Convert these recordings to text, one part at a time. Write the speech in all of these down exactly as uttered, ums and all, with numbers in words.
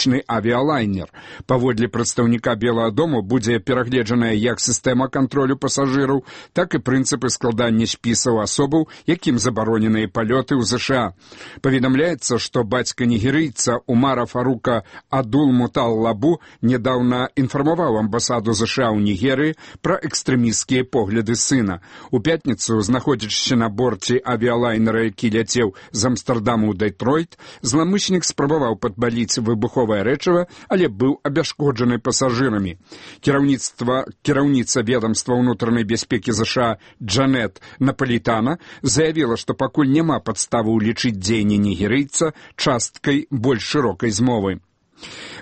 турыстычны авіялайнер. Паводле прадстаўніка Белага дому будзе перагледжаная як сістэма кантролю пасажыраў, так і прынцыпы складання спісаў асобаў, якім забароненыя палёты ў ЗША. Паведамляецца, што бацька нігерыйца Умара Фарука Адул-Муталлабу недаўна інфармаваў амбасаду ЗША ў Нігерыі пра экстрэмісцкія погляды сына. У пятніцу, знаходзячыся на борце авіялайнера, які ляцеў з Амстэрдаму ў Дэтройт, зламыснік спрабаваў падпаліць выбуховае рэчыва, але быў абяшкоджаны пасажырамі. Кіраўніцтва кіраўніца ведамства ўнутранай бяспекі ЗША Джанет Напалітана заявіла, што пакуль няма падставы ўлічыць дзеянні нігерыйца часткай больш шырокай змовы.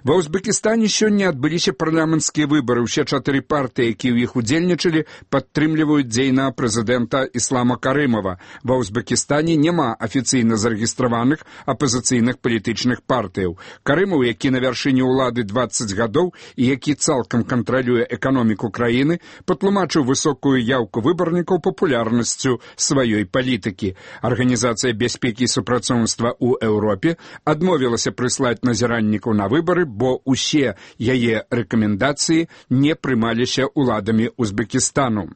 Ва Узбекістане сёння адбыліся парламенцкія выбары. Усе чатыры партыі, якія ў іх удзельнічалі, падтрымліваюць дзейнага прэзідэнта Іслама Карымова. Ва Узбекістане няма афіцыйна зарэгістраваных апазіцыйных палітычных партыяў. Карымаў, які на вяршыні ўлады дваццаць гадоў і які цалкам кантралюе эканоміку краіны, патлумачыў высокую яўку выбарнікаў папулярнасцю сваёй палітыкі. Арганізацыя бяспекі і супрацоўніцтва ў Еўропе адмовілася прыслаць назіральнікаў на выбары, бо ўсе яе рэкамендацыі не прымаліся ўладамі Узбекістану.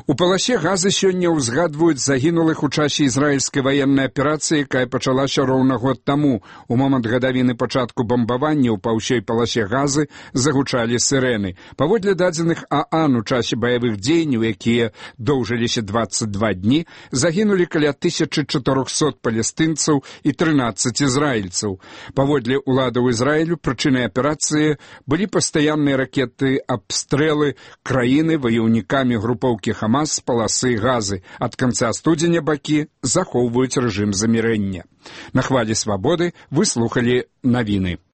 У паласе Газы сёння ўзгадваюць загінулых у часе ізраільскай ваеннай аперацыі, якая пачалася роўна год таму. У момант гадавіны пачатку бамбаванняў па ўсёй паласе Газы загучалі сірэны. Паводле дадзеных ААН у часе баявых дзеянняў, якія доўжыліся дваццаць два дні, загінулі каля тысячы чатырохсот палестынцаў і трынаццаць ізраільцаў. Паводле ўладаў Ізраілю прычынай аперацыі былі пастаянныя ракеты абстрэлы краіны ваяўнікамі групоўкі Хамас з паласы Газы. Ад канца студзеня бакі захоўваюць рэжым замірэння. На хвалі свабоды вы слухалі навіны.